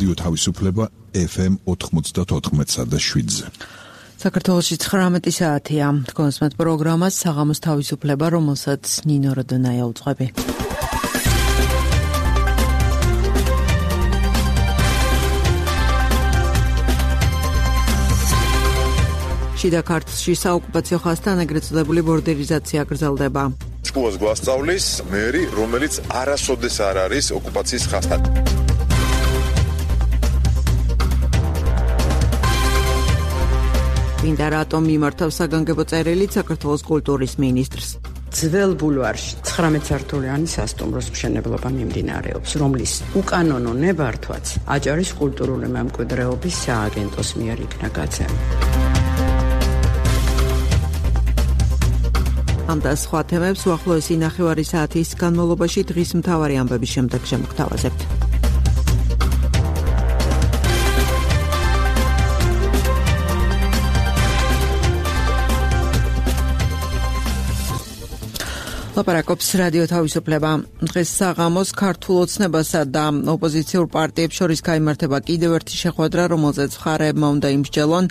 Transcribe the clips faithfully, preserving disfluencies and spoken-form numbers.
რადიო თავისუფლება ეფ ემ ოთხმოცდაოთხ და შვიდზე. საქართველოში ცხრამეტი საათია. თქვენს პროგრამას საღამოს თავისუფლება, რომელსაც ნინო როდონაია უძღვები. შიდა ქართლში საოკუპაციო ხაზთან ეგრეთ წოდებული ბორდერიზაცია გრძელდება. ჭკუას გვასწავლის მერი, რომელიც არასოდეს არ არის ოკუპაციის ხაზთან. ვინდა რატომ მიმართავს საგანგებო წერილით საქართველოს კულტურის მინისტრს. ძველ ბულვარში ცხრამეტ სართულიანი სასტუმროს მშენებლობა მიმდინარეობს, რომლის უკანონო ნებართვაც აჭარის კულტურული მემკვიდრეობის სააგენტოს მიერ იქნა გაცემული. ამ და სხვა თემებს უახლოესი ნახევარი საათის განმავლობაში დღის მთავარი ამბების შემდეგ შემოგთავაზებთ. ლაპარაკობს რადიო თავისუფლება. დღეს საღამოს ქართულ ოცნებასა და ოპოზიციურ პარტიებს შორის გაიმართება კიდევ ერთი შეხვედრა, რომელზეც მხარეებმა უნდა იმსჯელონ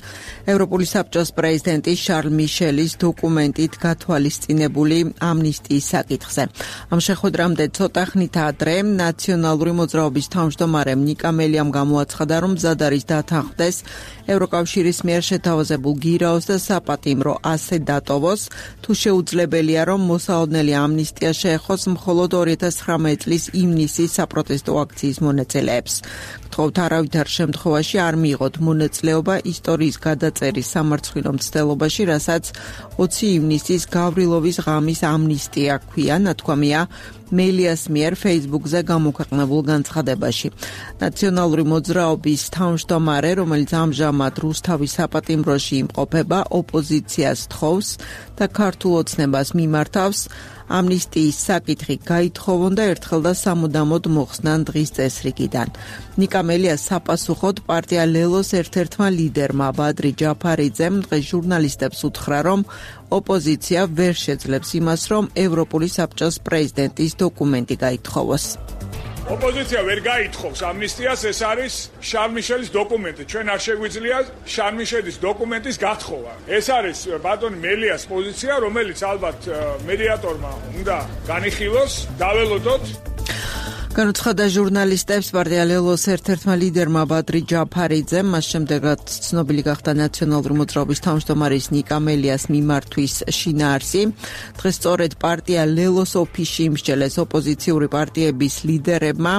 ევროპული საბჭოს პრეზიდენტის შარლ მიშელის დოკუმენტით გათვალისწინებული ამნისტიის საკითხზე. ამ შეხვედრამდე ცოტა ხნით ადრე ნაციონალური მოძრაობის თავმჯდომარემ ნიკა მელიამ გამოაცხადა, რომ მზად არის დათანხმდეს ევროკავშირის მიერ შეთავაზებულ გირაოს და საპატიმრო ასე დატოვოს, თუ შეუძლებელია, რომ მოსაოდნელი ამნისტია შეეხოს მხოლოდ ორი ათას ცხრამეტ წლის ივნისის საპროტესტო აქციის მონაწილეებს. გთხოვთ არავითარ შემთხვევაში არ მიიღოთ მონაწილეობა ისტორიის გადაწერის სამარცხვინო მცდელობაში, რასაც ოცი ივნისის გავრილოვის ღამის ამნისტია ჰქვია, ნათქვამია მელიას მიერ ფეისბუქზე გამოქვეყნებულ განცხადებაში. ნაციონალური მოძრაობის თავმჯდომარე, რომელიც ამჟამად რუსთავის საპატიმროში იმყოფება, ოპოზიციას თხოვს და ქართულ ოცნებას მიმართავს ამნისტიის საკითხი გაითხოვონ და ერთხელ და სამუდამოდ მოხსნან დღის წესრიგიდან. ნიკა მელია საპასუხოდ პარტია ლელოს ერთ-ერთმა ლიდერმა ბადრი ჯაფარიძემ დღეს ჟურნალისტებს უთხრა, რომ ოპოზიცია ვერ შეძლებს იმას, რომ ევროპული საბჭოს პრეზიდენტის დოკუმენტი გაითხოვოს. ოპოზიცია ვერ გაითხოვს ამნისტიას, ეს არის შარლ მიშელის დოკუმენტი. ჩვენ არ შეგვიძლია შარლ მიშელის დოკუმენტის გათხოვა. ეს არის ბატონ მელიას პოზიცია, რომელიც ალბათ მედიატორმა უნდა განიხილოს, დაველოდოთ. განუცხადა ჟურნალისტებს პარტია ლელოს ერთ-ერთმა ლიდერმა ბადრი ჯაფარიძემ, მას შემდეგაც ცნობილი გახდა ნაციონალური მოძრაობის თავმჯდომარის ნიკა მელიას მიმართვის შინაარსი. დღეს სწორედ პარტია ლელოს ოფისში იმსჯელეს ოპოზიციური პარტიების ლიდერებმა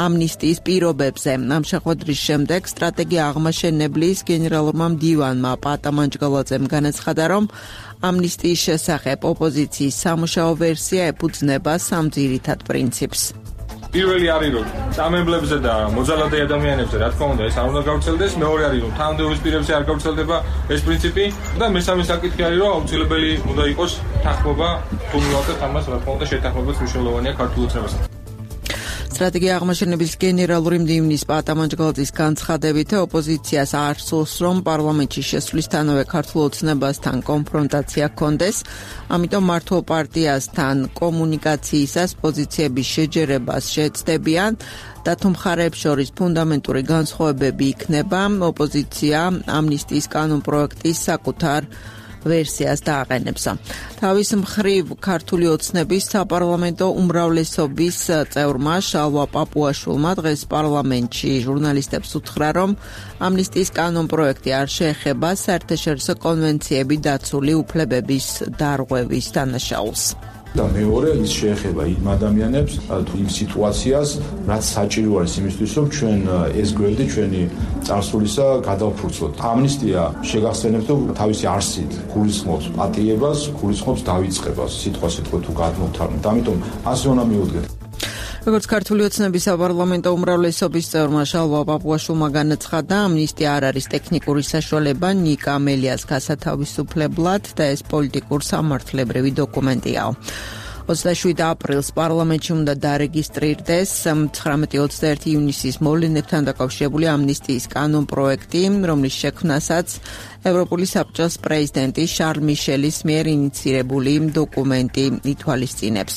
ამნისტიის პირობებზე. ამ შეხვედრის შემდეგ სტრატეგია აღმაშენებლის გენერალურმა მდივანმა პატა მანჯგალაძემ განაცხადა, რომ ამნისტიის შესახებ ოპოზიციის სამუშაო ვერსია ეფუძნება სამ ძირითად პრინციპს. პირველი არის რომ წამებლებზე და მოძალადე ადამიანებზე რა თქმა უნდა ეს არ უნდა გავრცელდეს, მეორე არის რომ თანამდებობის პირებზე არ გავრცელდება ეს პრინციპი და მესამე საკითხი არის რომ აუცილებელი უნდა იყოს თანხმობა, თუ მივაკეთებთ ამას რა თქმა უნდა შეთანხმებაც მნიშვნელოვანია ქართულ ოცნებასთან. სტრატეგია აღმაშენების გენერალური მდივნის პატა მანჯგალაძის განცხადებით ოპოზიციას არ სურს, რომ პარლამენტში შესვლისთანავე ქართულ ოცნებასთან კონფრონტაცია ჰქონდეს, ამიტომ მართლ პარტიასთან კომუნიკაციისას პოზიციების შეჯერებას შეეცდებიან და თუ მხარეებს შორის ფუნდამენტური განსხვავებები იქნება, ოპოზიცია ამნისტიის კანონპროექტის საკუთარ ვერსიას დააყენებს. თავის მხრივ ქართული ოცნების საპარლამენტო უმრავლესობის წევრმა შალვა პაპუაშვილმა დღეს პარლამენტში ჟურნალისტებს უთხრა, რომ ამნისტიის კანონპროექტი არ შეეხება საერთაშორისო კონვენციები დაცული უფლებების დარღვევის დანაშაულს. და მეორე ის შეეხება იმ ადამიანებს თუ იმ სიტუაციას, რაც საჭირო არის იმისთვის, რომ ჩვენ ეს გვერდი ჩვენი წარსულისა გადავფურცლოთ. ამნისტია შეგახსენებთ, რომ თავისი არსით გულისხმობს პატიებას, გულისხმობს დავიწყებას, სიტყვა სიტყვა თუ გადმოვთარგმნით. ამიტომ ასე უნდა მივუდგეთ. როგორც ქართული ოცნების საპარლამენტო უმრავლესობის წევრმა შალვა პაპუაშვილმა განაცხადა, ამნისტია არ არის ტექნიკური საშუალება ნიკა მელიას გასათავისუფლებლად და ეს პოლიტიკურ სამართლებრივი დოკუმენტია. ოცდაშვიდ აპრილს პარლამენტში უნდა დარეგისტრირდეს ცხრამეტი ოცდაერთი ივნისის მოვლენებთან დაკავშირებული ამნისტიის კანონპროექტი, რომლის შექმნასაც ევროპული საბჭოს პრეზიდენტი შარლ მიშელის მიერ ინიცირებული დოკუმენტი ითვალისწინებს.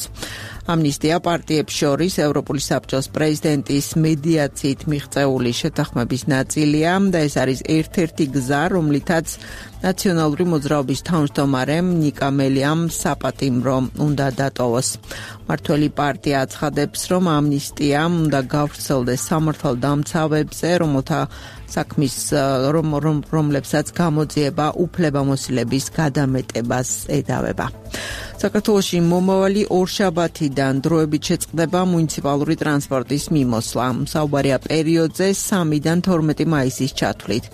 ამნისტია პარტიებს შორის ევროპული საბჭოს პრეზიდენტის მედიაციით მიღწეული შეთანხმების ნაწილია და ეს არის ერთ-ერთი გზა, რომლითაც ნაციონალური მოძრაობის თავმჯდომარემ ნიკა მელიამ საპატიმრო უნდა დატოვოს. მართველი პარტია აცხადებს, რომ ამნისტიამ უნდა გავრცელდეს სამართალდამცავებზე, რომელთა საქმის რომ რომლებსაც გამოძიება უფლებამოსილების გადამეტებას ედავება. საქართველოში მომავალი ორშაბათიდან დროებით შეწყდება მუნიციპალური ტრანსპორტის მიმოსვლა. საუბარია პერიოდზე სამიდან თორმეტი მაისის ჩათვლით.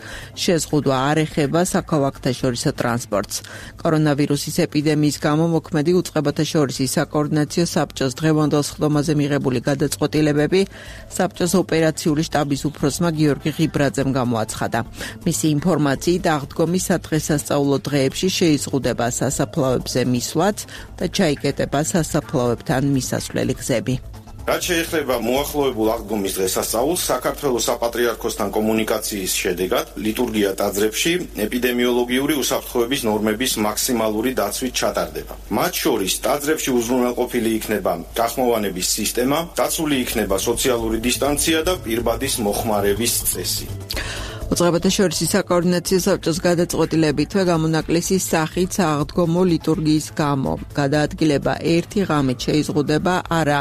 შეზღუდვა არ ეხება საქალაქთაშორისო ტრანსპორტს. კორონავირუსის ეპიდემიის გამო მოქმედი უწყებათა შორისი საკოორდინაციო საბჭოს დღევანდელ სხდომაზე მიღებული გადაწყვეტილებები საბჭოს ოპერაციული შტაბის უფროსმა გიორგი ღიბრაძემ გამოაცხადა. მისი ინფორმაციით აღდგომის სადღესასწაულო დღეებში შეიზღუდება სასაფლაოებზე მისვლაც და ჩაიკეტება სასაფლაოებთან მისასვლელი გზები. რაც შეეხება მოახლოებულ აღდგომის დღესასწაულს, საქართველოს საპატრიარქოსთან კომუნიკაციის შედეგად ლიტურგია ტაძრებში ეპიდემიოლოგიური უსაფრთხოების ნორმების მაქსიმალური დაცვით ჩატარდება. მათ შორის ტაძრებში უზრუნველყოფილი იქნება გახმოვანების სისტემა, დაცული იქნება სოციალური დისტანცია და პირბადის მოხმარების წესი. უწყებათა შორისი საკოორდინაციო საბჭოს გადაწყვეტილებითვე გამონაკლისის სახით აღდგომო ლიტურგიის გამო გადაადგილება ერთი ღამით შეიზღუდება არა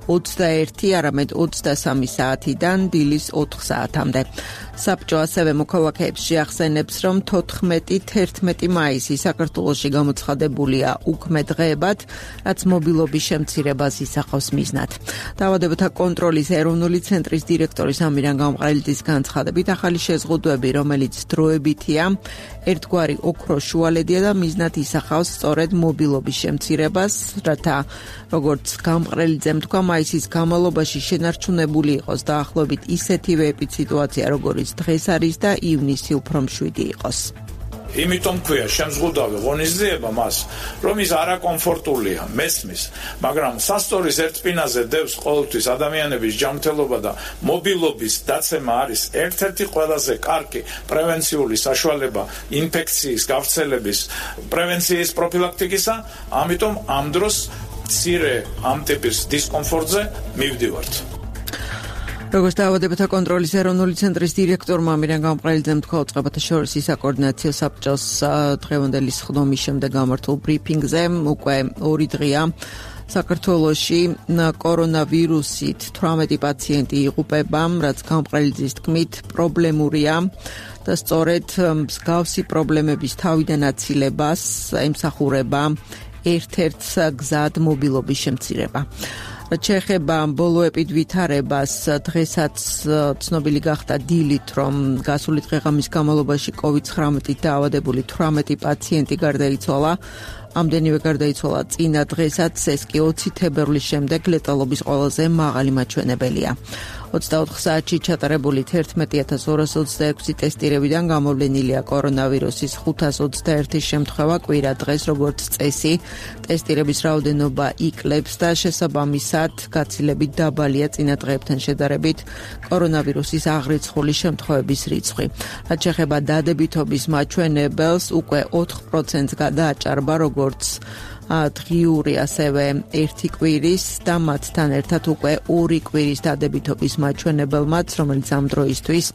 ოცდაერთი, არამედ ოცდასამი საათიდან დილის ოთხ საათამდე. საბჭო ასევე მოქალაქეებს შეახსენებს, რომ თოთხმეტი თერთმეტი მაისი საქართველოში გამოცხადებულია უქმე დღეებად, რაც მობილობის შემცირებას ისახავს მიზნად. დაავადებათა კონტროლის ეროვნული ცენტრის დირექტორის ამირან გამყრელიძის განცხადებით, ახალი შეზღუდვები, რომელიც დროებითია, ერთგვარი ოქრო შუალედია და მიზნად ისახავს სწორედ მობილობის შემცირებას, რათა როგორც გამყრელიძემ თქვა, მაისის განმავლობაში შენარჩუნებული იყოს დაახლოებით ისეთივე ეპიდსიტუაცია, როგორც დღეს არის და ივნისი უფრო მშვიდი იყოს. იმიტომ ქვია შემზღუდავი ღონისძიება მას, რომ ის არაკომფორტულია, მესმის, მაგრამ სასტორის ერთ სპინაზე დევს ყოველთვის ადამიანების ჯანმრთელობა და მობილობის დაცემა არის ერთ-ერთი ყველაზე კარგი პრევენციული საშუალება ინფექციის გავრცელების პრევენციის პროფილაქტიკისა, ამიტომ ამ დროს მცირე ამ ტიპის დისკომფორტზე მივდივართ. როგორც დაავადებათა კონტროლის ეროვნული ცენტრის დირექტორმა ამირან გამყრელიძემ თქვა, უწყებათა შორისი საკოორდინაციო საბჭოს დღევანდელი სხდომის შემდეგ გამართულ ბრიფინგზე უკვე ორი დღეა საქართველოში კორონავირუსით თვრამეტი პაციენტი იღუპება, რაც გამყრელიძის თქმით პრობლემურია და სწორედ მსგავსი პრობლემების თავიდან აცილებას ემსახურება ერთ-ერთ გზად მობილობის შემცირება. რაც შეეხება ბოლოებით ვითარებას, დღესაც ცნობილი გახდა დილით, რომ გასული დღეღამის განმავლობაში კოვიდ ცხრამეტით დაავადებული თვრამეტი პაციენტი გარდაიცვალა. ამდენივე გარდაიცვალა წინა დღესაც, ეს კი ოცი თებერვლის შემდეგ ლეტალობის ყველაზე მაღალი მაჩვენებელია. ოცდაოთხ საათში ჩატარებული თერთმეტი ათას ორას ოცდაექვსი ტესტირებიდან გამოვლენილია კორონავირუსის ხუთას ოცდაერთი შემთხვევა კვირა დღეს, როგორც წესი, ტესტირების რაოდენობა იკლებს და შესაბამისად გაცილებით დაბალია წინა დღეებთან შედარებით კორონავირუსის აღრიცხული შემთხვევების რიცხვი. რაც შეეხება დადებითობის მაჩვენებელს, უკვე ოთხ პროცენტს გადააჭარბა როგორც დღიური, ასევე ერთი კვირის და მათთან ერთად უკვე ორი კვირის დადებითობის მაჩვენებელმაც, რომელიც ამ დროისთვის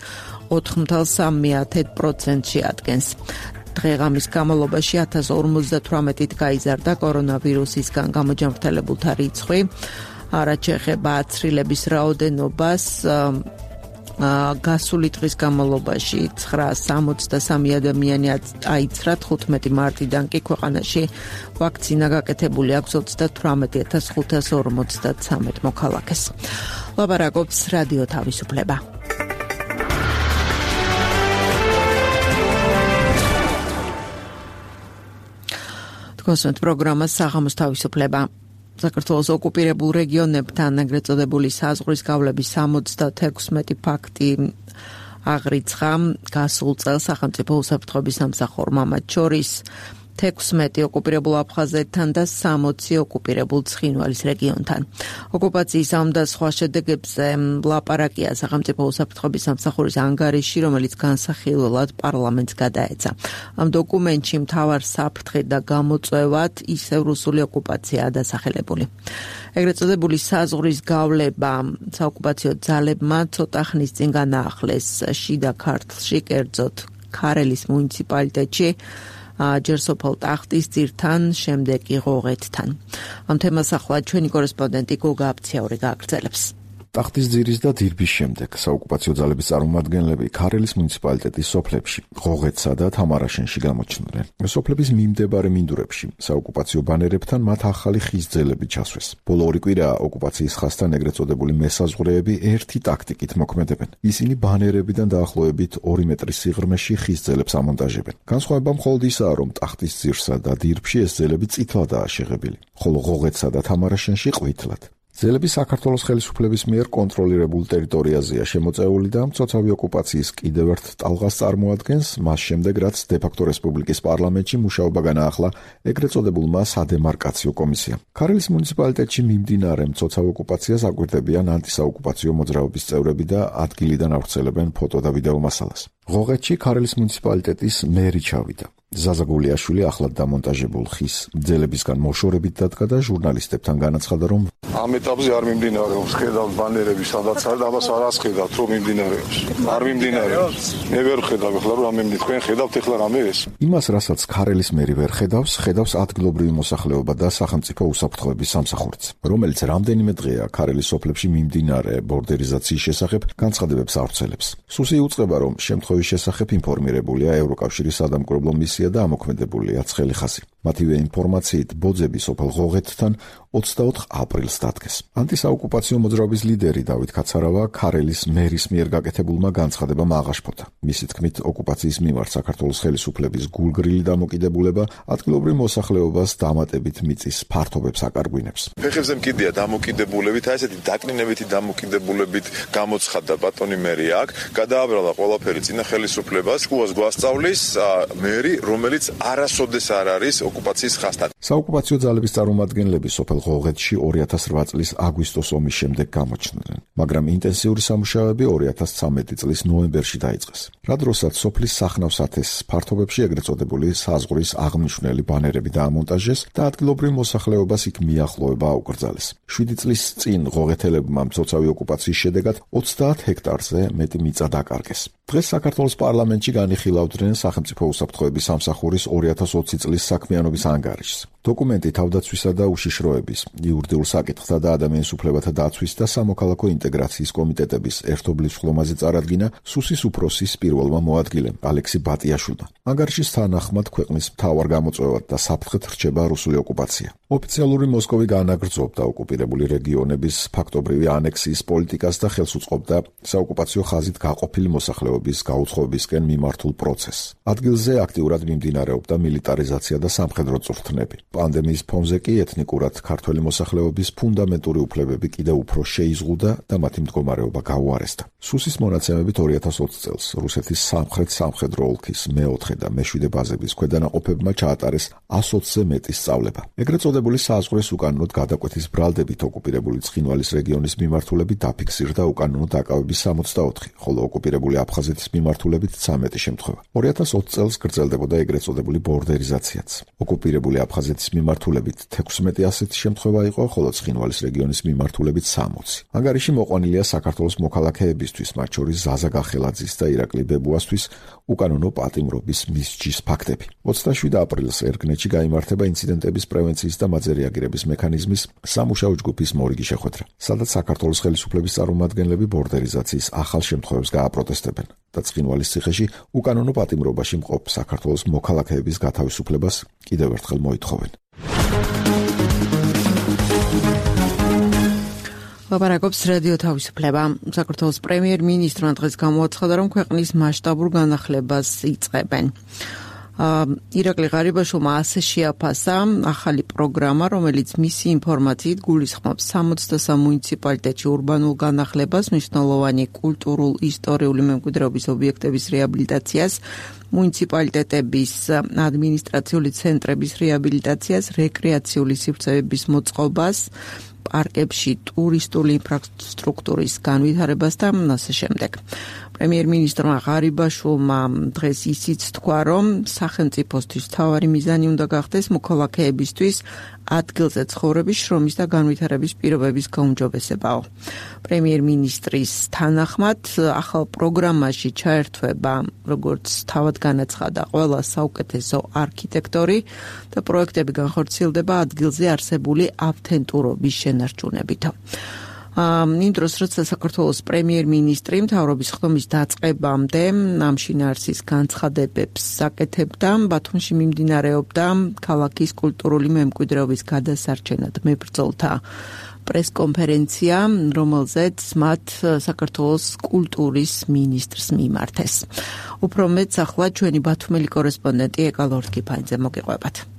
ოთხ ათას სამი პროცენტში ადგენს. დღეღამის განმავლობაში ათას ორმოცდათვრამეტით გაიზარდა კორონავირუსისგან გამოჯანმრთელებულთა რიცხვი. რაც შეეხება აცრილების რაოდენობას, გასული დღის განმავლობაში ცხრაას სამოცდასამი ადამიანი აიცრა, თხუთმეტი მარტიდან კი ქვეყანაში ვაქცინა გაკეთებული აქვს ოცდათვრამეტი ათას ხუთას ორმოცდათსამეტ მოქალაქეს. ლაპარაკობს რადიო თავისუფლება. თქვენს პროგრამას საღამოს თავისუფლება. საქართველოს ოკუპირებულ რეგიონებთან ეგრეთ წოდებული საზღვრის გავლების სამოცდათექვსმეტი ფაქტი აღრიცხა გასულ წელს სახელმწიფო უსაფრთხოების სამსახურმა, მათ შორის თექვსმეტი ოკუპირებულ აფხაზეთთან და სამოცი ოკუპირებულ ცხინვალის რეგიონთან. ოკუპაციის ამ და სხვა შედეგებზე ლაპარაკია სახელმწიფო უსაფრთხოების სამსახურის ანგარიში, რომელიც განსახილველად პარლამენტს გადაეცა. ამ დოკუმენტში მთავარ საფრთხედ და გამოწვევად ისევ რუსული ოკუპაციაა დასახელებული. ეგრეთ წოდებული საზღვრის გავლება საოკუპაციო ძალებმა ცოტა ხნის წინ განაახლეს შიდა ქართლში, კერძოდ ქარელის მუნიციპალიტეტში, ჯერ სოფელ ტახტისძირთან, შემდეგ კი ღოღეთთან. ამ თემას ახლა ჩვენი კორესპონდენტი გოგა აფციაური გააგრძელებს. ტახტისძირის და დირბის შემდეგ საოკუპაციო ძალების წარმომადგენლები ქარელის მუნიციპალიტეტის სოფლებში, ღოღეთსა და თამარაშენში გამოჩნდნენ. სოფლების მიმდებარე მინდვრებში საოკუპაციო ბანერებთან მათ ახალი ხის ძელები ჩასვეს. ბოლო ორი კვირა ოკუპაციის ხაზთან ეგრეთ წოდებული მესაზღვრეები ერთი ტაქტიკით მოქმედებენ. ისინი ბანერებიდან დაახლოებით ორი მეტრის სიღრმეში ხის ძელებს ამონტაჟებენ. განსხვავება მხოლოდ ისაა, რომ ტახტისძირსა და დირბში ეს ძელები წითლადაა შეღებილი, ხოლო ღოღეთსა და თამარაშენში ყვითლად. ძელები საქართველოს ხელისუფლების მიერ კონტროლირებულ ტერიტორიაზეა შემოწეული და მცოცავი ოკუპაციის კიდევ ერთ ტალღას წარმოადგენს, მას შემდეგ რაც დე-ფაქტო რესპუბლიკის პარლამენტში მუშაობა განაახლა ეგრეთ წოდებულმა სადემარკაციო კომისიამ. ქარელის მუნიციპალიტეტში მიმდინარე მცოცავ ოკუპაციას აკვირდებიან ანტისაოკუპაციო მოძრაობის წევრები და ადგილიდან ავრცელებენ ფოტო და ვიდეო მასალას. ღოღეთში ქარელის მუნიციპალიტეტის მერი ჩავიდა. ზაზა გულიაშვილი ახლად დამონტაჟებულ ხის ძელებისგან მოშორებით დადგა და ჟურნალისტებთან განაცხადა, რომ ამ ეტაპზე არ მიმდინარეობს, ხედავთ ბანერები, სადაც არის, ამას არ ასხედავთ, რომ მიმდინარეობს. არ მიმდინარეობს. მე ვერ ხედავ, ეხლა რომ ამემდე თქვენ ხედავთ ეხლა რამე ეს. იმას, რასაც ქარელის მერი ვერ ხედავს, ხედავს ადგილობრივი მოსახლეობა და სახელმწიფო უსაფრთხოების სამსახურიც, რომელიც რამდენიმე დღეა ქარელის სოფლებში მიმდინარე ბორდერიზაციის შესახებ განცხადებებს ავრცელებს. სუსი იუწყება, რომ შემთხვევის შესახებ ინფორმირებულია ევროკავშირის სადამკვირვებლო მისია და ამოქმედებულია ცხელი ხაზი. მათივე ინფორმაციით ბოძები სოფელ ღოღეთთან ოცდაოთხ აპრილს დადგეს. ანტისაოკუპაციო მოძრაობის ლიდერი დავით კაცარავა ქარელის მერის მიერ გაკეთებულმა განცხადებამ აღაშფოთა. მისი თქმით, ოკუპაციის მიმართ საქართველოს ხელისუფლების გულგრილი დამოკიდებულება ადგილობრივ მოსახლეობას დამატებით მიწის ფართობებს აკარგვინებს. ფეხებზე მკიდია დამოკიდებულებით, აი ესეთი დაკნინებითი დამოკიდებულებით გამოცხადდა ბატონი მერი აქ, გადააბრალა ყველაფერი წინა ხელისუფლებას, შუას გვასწავლის მერი, რომელიც არასოდეს არ არის ოკუპაციის ხაზთან. საოკუპაციო ძალების წარმომადგენლები სოფელ ღოღეთში ორი ათას რვა წლის აგვისტოს ომის შემდეგ გამოჩნდნენ, მაგრამ ინტენსიური სამუშაოები ორი ათას ცხრამეტი წლის ნოემბერში დაიწყეს. რა დროსაც სოფლის სახნავსათეს ფართობებში ეგრეთ წოდებული საზღვრის აღმნიშვნელი ბანერები დაამონტაჟეს და ადგილობრივ მოსახლეობას იქ მიახლოება აუკრძალეს. შვიდი წლის წინ ღოღეთელებმა მცოცავი ოკუპაციის შედეგად ოცდაათ ჰექტარზე მეტი მიწა დაკარგეს. დღეს საქართველოს პარლამენტში განიხილავდნენ სახელმწიფო უსაფრთხოების სამსახურის ორი ათას ოცი წლის საქმიანობის ანგარიშს. დოკუმენტი თავდაცვისა და უშიშროების, იურიდიულ საკითხთა და ადამიანის უფლებათა დაცვის და სამოქალაქო ინტეგრაციის კომიტეტების ერთობლივ ხლომაზე წარადგინა სუსის უფროსის პირველმა მოადგილემ ალექსი ბატიაშვილმა. ანგარიშის თანახმად ქვეყნის მთავარ გამოწვევად და საფრთხედ რჩება რუსული ოკუპაცია. ოფიციალური მოსკოვი განაგრძობდა ოკუპირებული რეგიონების ფაქტობრივი ანექსიის პოლიტიკას და ხელს უწყობდა საოკუპაციო ხაზით გაყოფილი მოსახლეობის გაუცხოებისკენ მიმართულ პროცესს. ადგილზე აქტიურად მიმდინარეობდა მილიტარიზაცია და სამხედრო წვრთნები. პანდემიის ფონზე კი ეთნიკურად ქართველი მოსახლეობის ფუნდამენტური უფლებები კიდევ უფრო შეიზღუდა და მათი მდგომარეობა გაუარესდა. სუსის მონაცემებით ორი ათას ოცი წელს რუსეთის სამხრეთ სამხედრო ოლქის მეოთხე და მეშვიდე ბაზების ქვედანაყოფებმა ჩაატარეს ას ოცზე მეტი სწავლება. ეგრეთ წოდებული საზღვრის უკანონოდ გადაკვეთის ბრალდებით ოკუპირებული ცხინვალის რეგიონის მიმართულებით დაფიქსირდა უკანონო დაკავების სამოცდაოთხი, ხოლო ოკუპირებული აფხაზეთის მიმართულებით ცამეტი შემთხვევა. ორი ათას ოცი წელს გრძელდებოდა ეგრეთ წოდებული ბორდერიზაციაც. ოკუპირებული აფხაზეთის მიმართულებით თექვსმეტი ასეთი შემთხვევა იყო, ხოლო ცხინვალის რეგიონის მიმართულებით სამოცი. ანგარიში მოყვანილია საქართველოს მოქალაქეებისთვის, მათ შორის ზაზა გახელაძის და ირაკლი ბებუასთვის უკანონო პატიმრობის მისჯის ფაქტები. ოცდაშვიდი აპრილს ერგნეთში გაიმართება ინციდენტების პრევენციის და მათზე რეაგირების მექანიზმის სამუშაო ჯგუფის მორიგი შეხვედრა, სადაც საქართველოს ხელისუფლების წარმომადგენლები ბორდერიზაციის ახალ შემთხვევებს გააპროტესტებენ და ცხინვალის ციხეში უკანონო პატიმრობაში მყოფ საქართველოს მოქალაქეების გათავისუფლებას კიდევ ერთხელ მოითხოვენ. ლაპარაკობს რადიო თავისუფლება. საქართველოს პრემიერ-მინისტრმა დღეს გამოაცხადა, რომ ქვეყნის მასშტაბურ განახლებას იწყებენ. ირაკლი ღარიბაშვილმა ასე შეაფასა ახალი პროგრამა, რომელიც მისი ინფორმაციით გულისხმობს სამოცდასამ მუნიციპალიტეტში ურბანულ განახლებას, მნიშვნელოვანი კულტურულ ისტორიული მემკვიდრეობის ობიექტების რეაბილიტაციას, მუნიციპალიტეტების ადმინისტრაციული ცენტრების რეაბილიტაციას, რეკრეაციული სივრცეების მოწყობას, პარკებში ტურისტული ინფრასტრუქტურის განვითარებას და ასე შემდეგ. პრემიერ-მინისტრმა ღარიბაშვილმა დღეს ისიც თქვა, რომ სახელმწიფოსთვის მთავარი მიზანი უნდა გახდეს მოქალაქეებისთვის ადგილზე ცხოვრების, შრომის და განვითარების პირობების გაუმჯობესებაო. პრემიერ-მინისტრის თანახმად, ახალ პროგრამაში ჩაერთვება, როგორც თავად განაცხადა, ყველა საუკეთესო არქიტექტორი და პროექტები განხორციელდება ადგილზე არსებული ავთენტურობის შენარჩუნებით. იმ დროს, როცა საქართველოს პრემიერ-მინისტრი მთავრობის ხდომის დაწყებამდე ამ შინაარსის განცხადებებს აკეთებდა, ბათუმში მიმდინარეობდა ქალაქის კულტურული მემკვიდრეობის გადასარჩენად მებრძოლთა პრესკონფერენცია, რომელზეც მათ საქართველოს კულტურის მინისტრს მიმართეს. უფრო მეტს ახლა ჩვენი ბათუმელი კორესპონდენტი ეკა ლორთქიფანიძე მოგიყვებათ.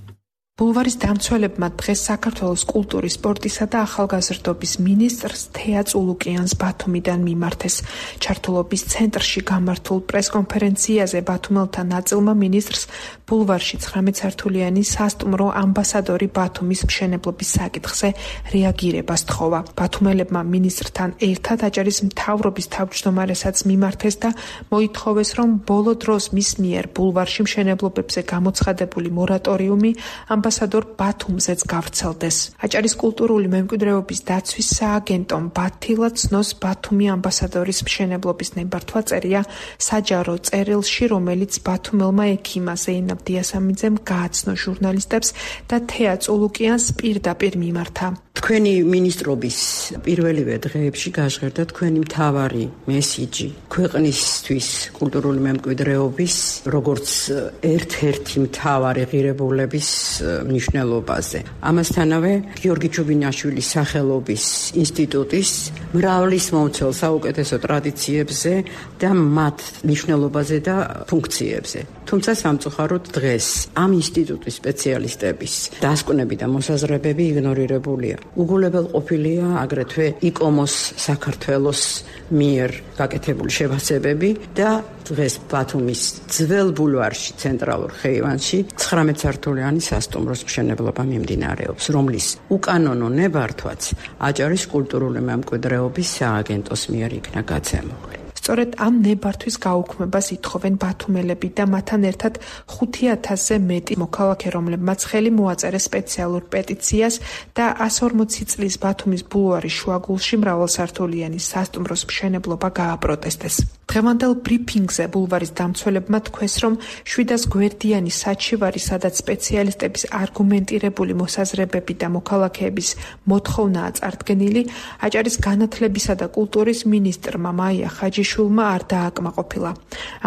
ბულვარის დამცველებმა დღეს საქართველოს კულტურის, სპორტისა და ახალგაზრდობის მინისტრს თეა წულუკიანს ბათუმიდან მიმართეს. ჩართულობის ცენტრში გამართულ პრესკონფერენციაზე ბათუმელთა ნაწილმა მინისტრს ბულვარში ცხრამეტსართულიანი სასტუმრო ამბასადორი ბათუმის მშენებლობის საკითხზე რეაგირებას თხოვა. ბათუმელებმა მინისტრთან ერთად აჭარის მთავრობის თავმჯდომარესაც მიმართეს და მოითხოვეს, რომ ბოლო დროს მის მიერ ბულვარში მშენებლობებზე გამოცხადებული მორატორიუმი ამბასადორ ბათუმზეც გავრცელდეს. აჭარის კულტურული მემკვიდრეობის დაცვის სააგენტომ ბათილა ცნოს ბათუმი ამბასადორის მშენებლობის ნებართვა წერია საჯარო წერილში, რომელიც ბათუმელმა ექიმა ზეინაბ დიასამიძემ გააცნო ჟურნალისტებს და თეა წულუკიანს პირდაპირ მიმართა. თქვენი მინისტრობის პირველივე დღეებში გაჟღერდა თქვენი მთავარი მესიჯი ქვეყნისთვის კულტურული მემკვიდრეობის როგორც ერთ-ერთი მთავარი ღირებულების მნიშვნელობაზე. ამასთანავე გიორგი ჩუბინაშვილის სახელობის ინსტიტუტის მრავლის მომცველ საუკეთესო ტრადიციებზე და მათ მნიშვნელობაზე და ფუნქციებზე. თუმცა სამწუხაროდ დღეს ამ ინსტიტუტის სპეციალისტების დასკვნები და მოსაზრებები იგნორირებულია. უგულებელყოფილია აგრეთვე იკომოს საქართველოს მიერ გაკეთებული შეფასებები და დღეს ბათუმის ძველ ბულვარში ცენტრალურ ხეივანში ცხრამეტსართულიანი სასტუმროს მშენებლობა მიმდინარეობს, რომლის უკანონო ნებართვაც აჭარის კულტურული მემკვიდრეობის სააგენტოს მიერ იქნა გაცემული. სწორედ ამ ნებართვის გაუქმებას ითხოვენ ბათუმელები და მათთან ერთად ხუთი ათასზე მეტი მოქალაქე, რომლებმაც ხელი მოაწერეს სპეციალურ პეტიციას და ასი ორმოცი წლის ბათუმის ბულვარის შუაგულში მრავალსართულიანი სასტუმროს მშენებლობა გააპროტესტეს. დღევანდელ ბრიფინგზე ბულვარის დამცველებმა თქვეს, რომ შვიდას გვერდიანი საჩივარი, სადაც სპეციალისტების არგუმენტირებული მოსაზრებები და მოქალაქეების მოთხოვნაა წარდგენილი, აჭარის განათლებისა და კულტურის მინისტრმა მაია ხაჯიშვილმა არ დააკმაყოფილა.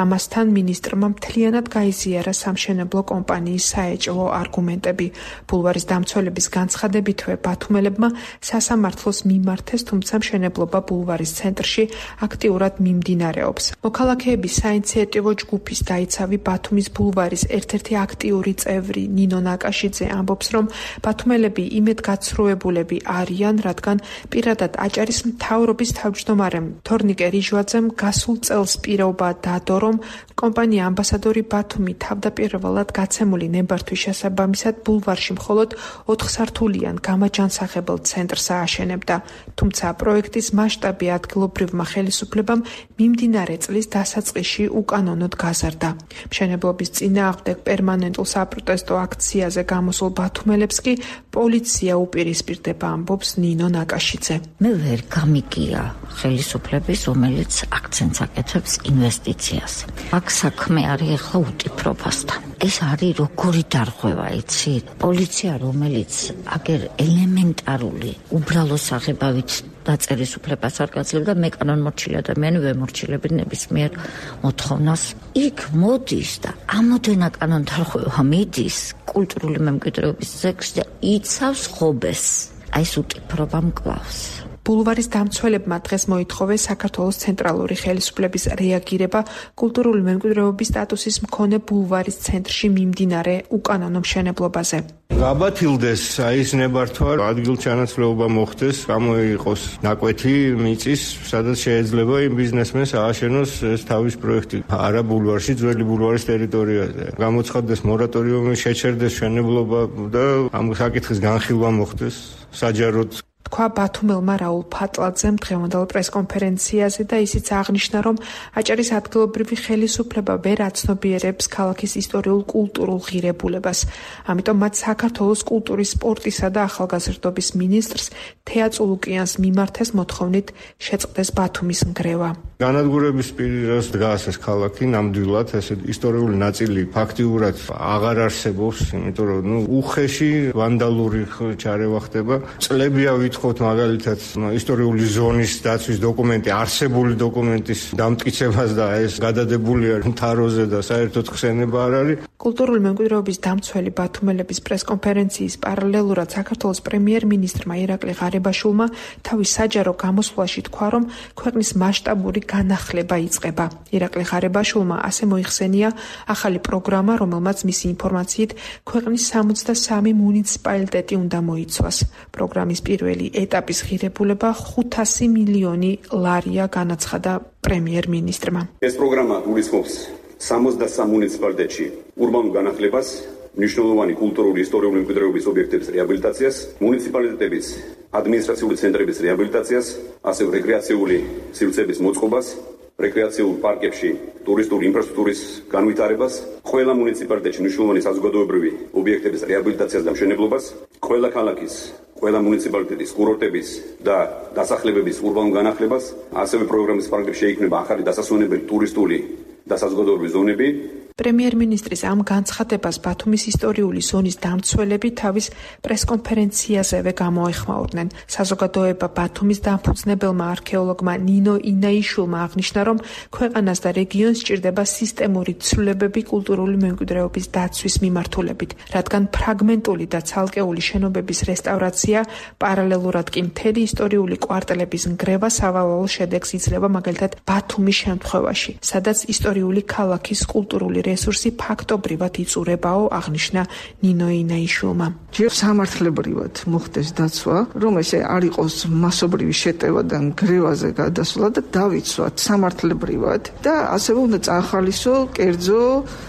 ამასთან მინისტრმა მთლიანად გაიზიარა სამშენებლო კომპანიის საეჭვო არგუმენტები. ბულვარის დამცველების განცხადებითვე ბათუმელებმა სასამართლოს მიმართეს, თუმცა მშენებლობა ბულვარის ცენტრში აქტიურად მიმდინარეობს. მოქალაქეების საინიციატივო ჯგუფის დაიცავი ბათუმის ბულვარის ერთ-ერთი აქტიური წევრი ნინო ნაკაშიძე ამბობს, რომ ბათუმელები იმედგაცრუებულები არიან, რადგან პირადად აჭარის მთავრობის თავმჯდომარემ თორნიკე რიჟვაძემ გასულ წელს პირობა დადო, რომ კომპანია ამბასადორი ბათუმი თავდაპირველად გაცემული ნებართვის შესაბამისად ბულვარში მხოლოდ ოთხსართულიან გამაჯანსაღებელ ცენტრს ააშენებდა. თუმცა პროექტის მასშტაბი ადგილობრივმა ხელისუფლებამ მიმდინარე წლის დასაწყისში უკანონოდ გაზარდა. მშენებლობის წინააღმდეგ პერმანენტულ საპროტესტო აქციაზე გამოსულ ბათუმელებს კი პოლიცია უპირისპირდება, ამბობს ნინო ნაკაშიძე. მე ვერ გამიგია ხელისუფლების, რომელიც აქცენტს აკეთებს ინვესტიციას. აქ საქმე არის ახლა უტიფრობასთან. ეს არის როგორი დარღვევა, იცი? პოლიცია, რომელიც აგერ ელემენტარული უბრალო საღებავით დაწერის უფლებას არ გაძლევდა, მე კანონმორჩილი ადამიანი ვემორჩილები ნებისმიერ მოთხოვნას. იქ მოდის და ამოდენა კანონდარღვევა მიდის კულტურული მემკვიდრეობის ზეგში და იცავს ხობეს. აი ეს უტიფრობა მკლავს. ბულვარის დამცველებმა დღეს მოითხოვეს საქართველოს ცენტრალური ხელისუფლების რეაგირება კულტურული მემკვიდრეობის სტატუსის მქონე ბულვარის ცენტრში მიმდინარე უკანონო მშენებლობაზე. გაბათილდეს აი ეს ნებართვა, ადგილჩანაცვლეობა მოხდეს, გამოიყოს ნაკვეთი მიწის, სადაც შეიძლება იმ ბიზნესმენს ააშენოს ეს თავის პროექტი არა ბულვარში, ძველი ბულვარის ტერიტორიაზე. გამოცხადდეს მორატორიუმი, შეჩერდეს მშენებლობა და ამ საკითხის განხილვა მოხდეს საჯაროდ. თქვა ბათუმელმა რაულ ფატლაძემ დღევანდელ პრესკონფერენციაზე და ისიც აღნიშნა, რომ აჭარის ადგილობრივი ხელისუფლება ვერ აცნობიერებს ქალაქის ისტორიულ კულტურულ ღირებულებას. ამიტომ მათ საქართველოს კულტურის, სპორტისა და ახალგაზრდობის მინისტრს თეა წულუკიანს მიმართეს მოთხოვნით შეწყდეს ბათუმის ნგრევა. განადგურების პირას დგას ეს ქალაქი ნამდვილად, ეს ისტორიული ნაწილი ფაქტიურად აღარ არსებობს, იმიტომ რომ ნუ უხეში ვანდალური ჩარევა ხდება. წლებია ვითხოვთ მაგალითად ისტორიული ზონის დაცვის დოკუმენტი, არსებული დოკუმენტის დამტკიცებას და ეს გადადებულია მთაროზე და საერთოდ ხსენება არ არის. კულტურული მემკვიდრეობის დამცველი ბათუმელების პრესკონფერენციის პარალელურად საქართველოს პრემიერ-მინისტრმა ირაკლი ღარიბაშვილმა თავის საჯარო გამოსვლაში თქვა, რომ ქვეყნის მასშტაბური განახლება იწყება. ირაკლი ღარიბაშვილმა ასე მოიხსენია ახალი პროგრამა, რომელმაც მისი ინფორმაციით ქვეყნის სამოცდასამი მუნიციპალიტეტი უნდა მოიცვას. პროგრამის პირველი ეტაპის ღირებულება ხუთასი მილიონი ლარია, განაცხადა პრემიერ-მინისტრმა. ეს პროგრამა გულისხმობს სამოცდასამ მუნიციპალიტეტში ურბანულ განახლებას, მნიშვნელოვანი კულტურული ისტორიული მემკვიდრეობის ობიექტების რეაბილიტაციას, მუნიციპალიტეტების ადმინისტრაციული ცენტრების რეაბილიტაციას, ასევე რეკრეაციული სივრცეების მოწყობას, რეკრეაციულ პარკებში ტურისტული ინფრასტრუქტურის განვითარებას, ყველა მუნიციპალიტეტში მნიშვნელოვანი საზოგადოებრივი ობიექტების რეაბილიტაციას და მშენებლობას, ყველა ქალაქის ყველა მუნიციპალიტეტის კურორტების და დასახლებების ურბანულ განახლებას, ასევე პროგრამის პარკებში შეიქმნება ახალი დასასვენებელი ტურისტული და საზოგადოებრივი ზონები. პრემიერ-მინისტრის ამ განცხადებას ბათუმის ისტორიული ზონის დამცველები თავის პრესკონფერენციაზევე გამოეხმაურდნენ. საზოგადოება ბათუმის დამფუძნებელმა არქეოლოგმა ნინო ინაიშვილმა აღნიშნა, რომ ქვეყანას და რეგიონს სჭირდება სისტემური ცვლილებები კულტურული მემკვიდრეობის დაცვის მიმართულებით, რადგან ფრაგმენტული და ცალკეული შენობების რესტავრაცია, პარალელურად კი მთელი ისტორიული კვარტალების ნგრევა სავალალო შედეგს იძლევა, მაგალითად ბათუმის შემთხვევაში, სადაც ისტორიული ქალაქის კულტურული რესურსი ფაქტობრივად იწურებაო, აღნიშნა ნინო ინაიშვილმა. ჯერ სამართლებრივად მოხდეს დაცვა, რომ ესე არ იყოს მასობრივი შეტევა და ნგრევაზე გადასვლა და დავიცვათ სამართლებრივად და ასევე უნდა წაახალისო კერძო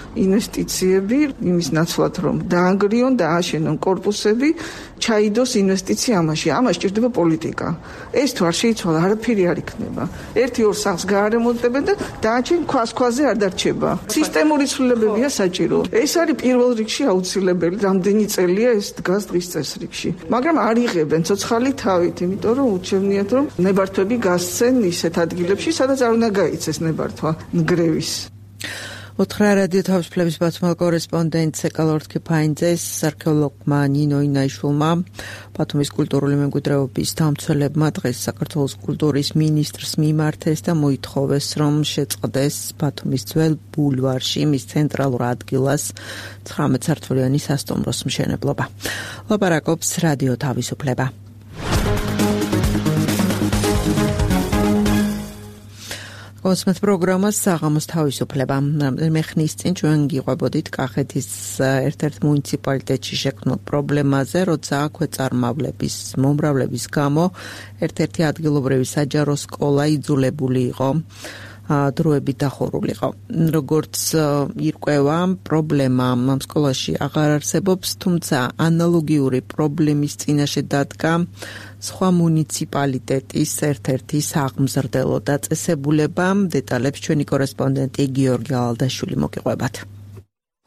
ინვესტიციები იმის ნაცვლად, რომ დაანგრიონ და აშენონ კორპუსები, ჩაიდოს ინვესტიცია ამაში. ამას სჭირდება პოლიტიკა. ეს თუ არ შეიცვალა, არაფერი არ იქნება. ერთი ორ სახლს გაარემონტებენ და დანარჩენი ქვას ქვაზე არ დარჩება. სისტემური ცვლილებებია საჭირო. ეს არის პირველ რიგში აუცილებელი, რამდენი წელია ეს დგას დღის წესრიგში. მაგრამ არ იღებენ ცოცხალი თავით, იმიტომ რომ უჩვენიათ, რომ ნებართვები გასცენ ისეთ ადგილებში, სადაც არ უნდა გაიცეს ნებართვა ნგრევის. უთხრა რადიო თავისუფლების ბათუმელ კორესპონდენტს ეკალორთქიფაინძეს, არქეოლოგმა ნინო ინაიშვილმა, ბათუმის კულტურული მემკვიდრეობის დამცველებმა დღეს საქართველოს კულტურის მინისტრს მიმართეს და მოითხოვეს, რომ შეწყდეს ბათუმის ძველ ბულვარში მის ცენტრალურ ადგილას ცხრამეტ სართულიანი სასტუმროს მშენებლობა. ლაპარაკობს რადიო თავისუფლება. კონსმეთ პროგრამას საღამოს თავისუფლება. მე ხნის წინ ჩვენ გიყვებოდით კახეთის ერთ-ერთ მუნიციპალიტეტში შექმნილ პრობლემაზე, როცა ქვეწარმავლების მომრავლების გამო ერთ-ერთი ადგილობრივი საჯარო სკოლა იძულებული იყო დროებით დახურულიყო. როგორც ირკვევა, პრობლემა ამ სკოლაში აღარ არსებობს, თუმცა ანალოგიური პრობლემის წინაშე დადგა სხვა მუნიციპალიტეტის ერთ-ერთი სააღმზრდელო დაწესებულება. დეტალებს ჩვენი კორესპონდენტი გიორგი ალდაშვილი მოგიყვებათ.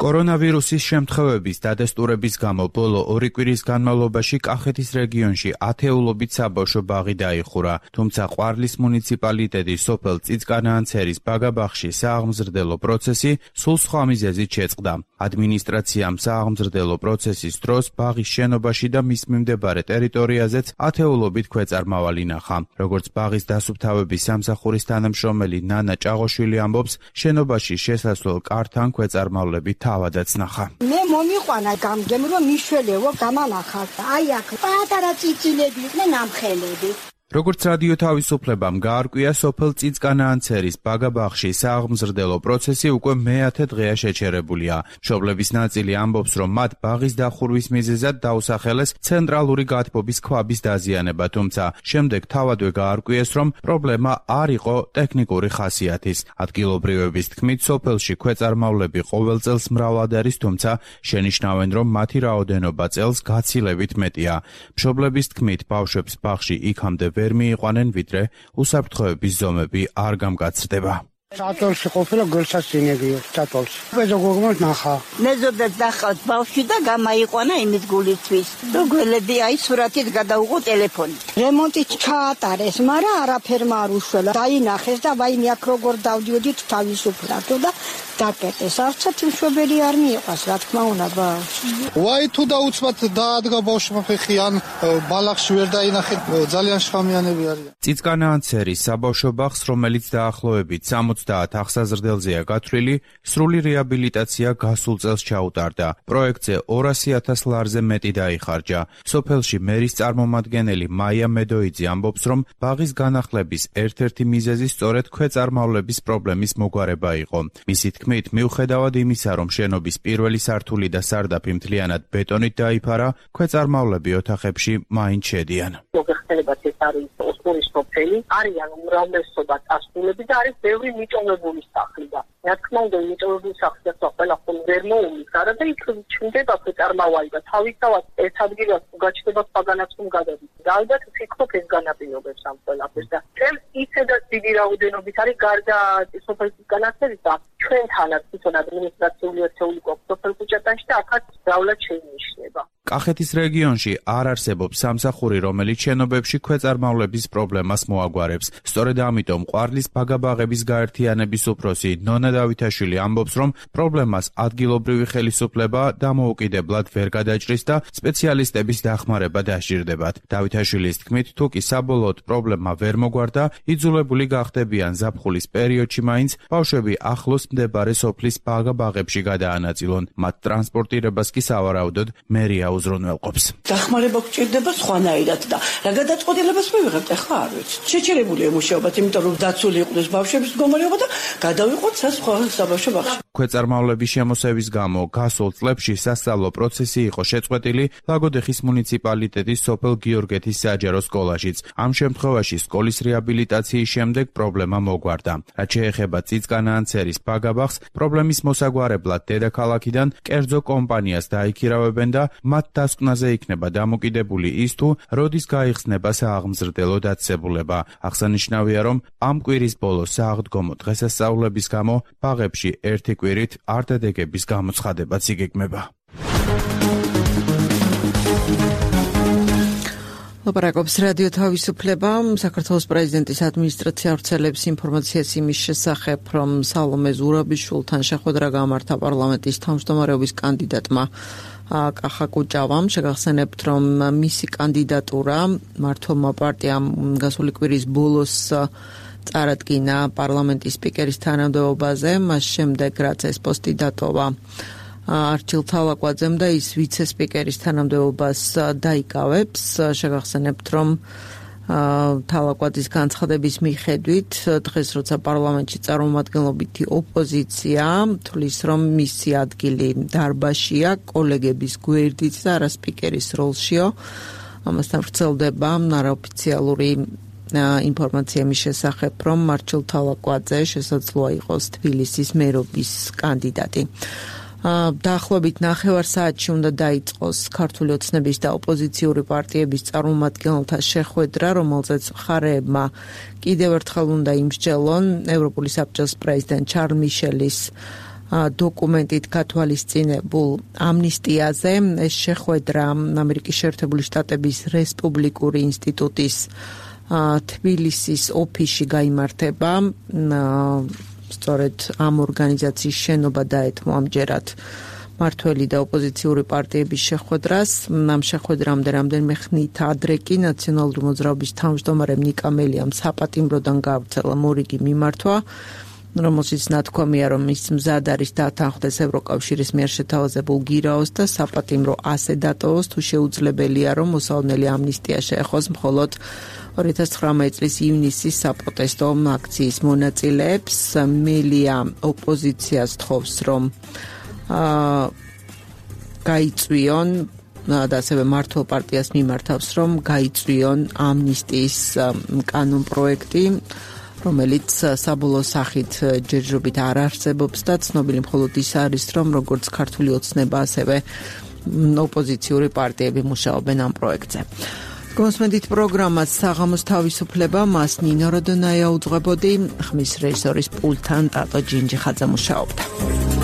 კორონავირუსის შემთხვევების დადასტურების გამო ბოლო ორი კვირის განმავლობაში კახეთის რეგიონში ათეულობით საბავშვო ბაღი დაიხურა, თუმცა ყვარლის მუნიციპალიტეტის სოფელ წიწკანაანცერის ბაგაბაღში სააღმზრდელო პროცესი სულ სხვა მიზეზით შეწყდა. ადმინისტრაციამ სააღმზრდელო პროცესის დროს ბაღის შენობაში და მის მიმდებარე ტერიტორიაზეც ათეულობით ქვეწარმავალი ნახა. როგორც ბაღის დასუფთავების სამსახურის თანამშრომელი ნანა ჭაღოშვილი ამბობს, შენობაში შესასვლელ კართან ქვეწარმავლები თავადაც ნახა. მე მომიყვანა გამგემრო მიშველეო გამანახა. აი აქ პატარა წიწილები იყვნენ ამხელები. როგორც რადიო თავისუფლებამ გაარკვია, სოფელ წიწკანაანცერის ბაგაბაღში სააღმზრდელო პროცესი უკვე მეათე დღეა შეჩერებულია. მშობლების ნაწილი ამბობს, რომ მათ ბაღის დახურვის მიზეზად დაუსახელეს ცენტრალური გათბობის ქვაბის დაზიანება, თუმცა შემდეგ თავადვე გაარკვიეს, რომ პრობლემა არ იყო ტექნიკური ხასიათის. ადგილობრივების თქმით, სოფელში ქვეწარმავლები ყოველ წელს მრავლად არის, თუმცა შენიშნავენ, რომ მათი რაოდენობა წელს გაცილებით მეტია. მშობლების თქმით, ბავშვებს ბაღში იქამდე ვერ მიიყვანენ, ვიდრე უსაფრთხოების ზომები არ გამკაცრდება. Ატოლში ყოფილა გულსასწინებია, ატოლში. პედაგოგმა ნახა. მეზობლად ნახავთ ბავშვი და გამაიყვანა იმის გულისთვის. რომ გველედი აი სურათით გადაუღო ტელეფონით. რემონტი ჩაატარეს, მაგრამ არაფერმა არ უშველა. დაინახეს და ვაიმე აქ როგორ დავდიოდით თავისუფლად და დაკეტეს. არცაც მშვენიერი არ მიიყვას, რა თქმა უნდა, ბავშვი. ვაი თუ დაუცბად დაადგა ბავშვმა ფეხი ან ბალახში ვერ დაინახეთ, ძალიან შხამიანები არიან. წიწკანაანცერის საბავშვო ბაღს, რომელიც დაახლოებით სამოცდაათ ახსაზრდელზეა გათვლილი, სრული რეაბილიტაცია გასულ წელს ჩაუტარდა. პროექტზე ორასი ათას ლარზე მეტი დაიხარჯა. სოფელში მერის წარმომადგენელი მაია მედოიძე ამბობს, რომ ბაღის განახლების ერთ-ერთი მიზეზი სწორედ ქვეწარმავლების პრობლემის მოგვარება იყო. მისი თქმით, მიუხედავად იმისა, რომ შენობის პირველი სართული და სარდაფი მთლიანად ბეტონით დაიფარა, ქვეწარმავლები ოთახებში მაინც შედიან. მოგეხსენებათ, ეს არის ოსმურის სოფელი, არიან უმრავლესობა წასულები და არის ბევრი მიტოვებული სახლი და რა თქმა უნდა მიტოვებული სახლი და ყველა ხომ ვერ მოუნის არა და იქ ჩნდება ქვეწარმავალი და თავისთავად ეს ადგილას გაჩნდება სხვაგანაც რომ გადადის და ალბათ ვფიქრობ ეს განაპირობებს ამ ყველაფერს და წელს ისედაც დიდი რაოდენობით არის გარდა სოფლის განათლების და ჩვენთანაც თვითონ ადმინისტრაციული ერთეული გვაქვს სოფელ ქუჩატანში და აქაც დავლად შეინიშნება. კახეთის რეგიონში არ არსებობს სამსახური, რომელიც შენობებში ქვეწარმავლების პრობლემას მოაგვარებს. სწორედ ამიტომ ყვარლის ბაგაბაღების გაერთიანების უფროსი ნონა დავითაშვილი ამბობს, რომ პრობლემას ადგილობრივი ხელისუფლება დამოუკიდებლად ვერ გადაჭრის და სპეციალისტების დახმარება დასჭირდებათ. დავითაშვილის თქმით, თუ კი საბოლოოდ პრობლემა ვერ მოგვარდა, იძულებული გახდებიან ზაფხულის პერიოდში მაინც ბავშვები ახლოს მდებარე სოფლის ბაგაბაღებში გადაანაწილონ. მათ ტრანსპორტირებას კი სავარაუდოდ მერია უზრუნველყოფს. დახმარება გვჭირდება სხვანაირად და რა გადაწყვეტილებას მივიღებთ ახლა არ ვიცი. შეჩერებულია მუშაობაც, იმიტომ რომ დაცული იყვნენ ბავშვების მდგომარეობა და გადავიყვოთ სხვა საბავშვო ბაღში. ქვეწარმავლების შემოსევის გამო გასულ წლებში სასწავლო პროცესი იყო შეწყვეტილი ლაგოდეხის მუნიციპალიტეტის სოფელ გიორგეთის საჯარო სკოლაშიც. ამ შემთხვევაში სკოლის რეაბილიტაციის შემდეგ პრობლემა მოგვარდა. რაც შეეხება წიწკანაანცერის ბაგაბაღს, პრობლემის მოსაგვარებლად დედაქალაქიდან კერძო კომპანიას დაიქირავებენ და მათ დასკვნაზე იქნება დამოკიდებული ის თუ როდის გაიხსნება სააღმზრდელო დაწესებულება. აღსანიშნავია, რომ ამ კვირის ბოლოს სააღდგომო დღესასწაულების გამო ბაღებში ერთი კვირით არდადეგების გამოცხადებაც იგეგმება. ლაპარაკობს რადიო თავისუფლება. საქართველოს პრეზიდენტის ადმინისტრაცია ავრცელებს ინფორმაციას იმის შესახებ, რომ სალომე ზურაბიშვილთან შეხვედრა გამართა პარლამენტის თავმჯდომარეობის კანდიდატმა კახა კუჭავამ. შეგახსენებთ, რომ მისი კანდიდატურა მართლმა პარტიამ გასული კვირის ბოლოს წარადგინა პარლამენტის სპიკერის თანამდებობაზე, მას შემდეგ რაც ეს პოსტი დატოვა არჩილ თალაკვაძემ და ის ვიცე-სპიკერის თანამდებობას დაიკავებს. შეგახსენებთ, რომ თალაკვაძის განცხადების მიხედვით დღეს როცა პარლამენტში წარმომადგენლობითი ოპოზიცია თვლის, რომ მისი ადგილი დარბაზშია, კოლეგების გვერდით და არა სპიკერის როლშიო. ამასთან ვრცელდება არაოფიციალური ინფორმაცია მის შესახებ, რომ მარჩილ თალაკვაძე შესაძლოა იყოს თბილისის მერობის კანდიდატი. დაახლოებით ნახევარ საათში უნდა დაიწყოს ქართული ოცნების და ოპოზიციური პარტიების წარმომადგენელთა შეხვედრა, რომელზეც მხარეებმა კიდევ ერთხელ უნდა იმსჯელონ ევროპული საბჭოს პრეზიდენტ ჩარლ მიშელის დოკუმენტით გათვალისწინებულ ამნისტიაზე. ეს შეხვედრა ამერიკის შეერთებული შტატების რესპუბლიკური ინსტიტუტის თბილისის ოფისში გაიმართება. სწორედ ამ ორგანიზაციის შენობა დაეთმო ამჯერად მართველი და ოპოზიციური პარტიების შეხვედრას. ამ შეხვედრამდე რამდენიმე ხნით ადრე კი ნაციონალური მოძრაობის თავმჯდომარემ ნიკა მელიამ საპატიმროდან გავრცელა მორიგი მიმართვა რომელშიც ნათქვამია, რომ ის მზად არის დათანხმდეს ევროკავშირის მიერ შეთავაზებულ გირაოს და საპატიმრო ასე დატოვოს, თუ შეუძლებელია, რომ მოსალოდნელი ამნისტია შეეხოს მხოლოდ ორი ათას ცხრამეტი წლის ივნისის საპროტესტო აქციის მონაწილეებს. მელია ოპოზიციას თხოვს, რომ აა გაიწვიონ და ასევე მართლ პარტიას მიმართავს, რომ გაიწვიონ ამნისტიის კანონპროექტი, რომელიც საბოლოო სახით ჯერჯერობით არ არსებობს და ცნობილი მხოლოდ ის არის, რომ როგორც ქართული ოცნება, ასევე ოპოზიციური პარტიები მუშაობენ ამ პროექტზე. გონსმენდით პროგრამას საღამოს თავისუფლება, მას ნინო როდონაია უძღვებოდი, ხმის რეჟისორის პულტთან ტატო ჯინჯიხაძე მუშაობდა.